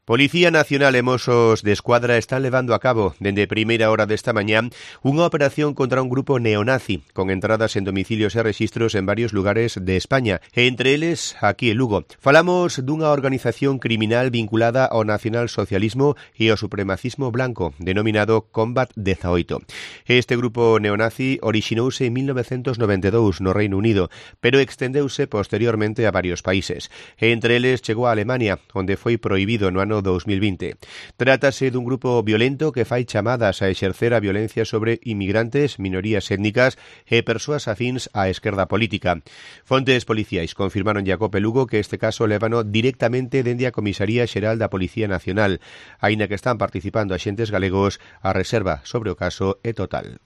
Policía Nacional e Mossos de Escuadra están levando a cabo, dende primeira hora desta mañá, unha operación contra un grupo neonazi, con entradas en domicilios e rexistros en varios lugares de España, e entre eles aquí en Lugo. Falamos dunha organización criminal vinculada ao nacionalsocialismo e ao supremacismo blanco, denominado Combat 18. Este grupo neonazi orixinouse en 1992 no Reino Unido, pero extendeuse posteriormente a varios países. E entre eles chegou a Alemania, onde foi prohibido no ano 2020. Trátase dun grupo violento que fai chamadas a exercer a violencia sobre inmigrantes, minorías étnicas e persoas afíns á esquerda política. Fontes policiais confirmaron a Cope Lugo que este caso lévano directamente dende a Comisaría Xeral da Policía Nacional, aínda que están participando axentes galegos, a reserva sobre o caso é total.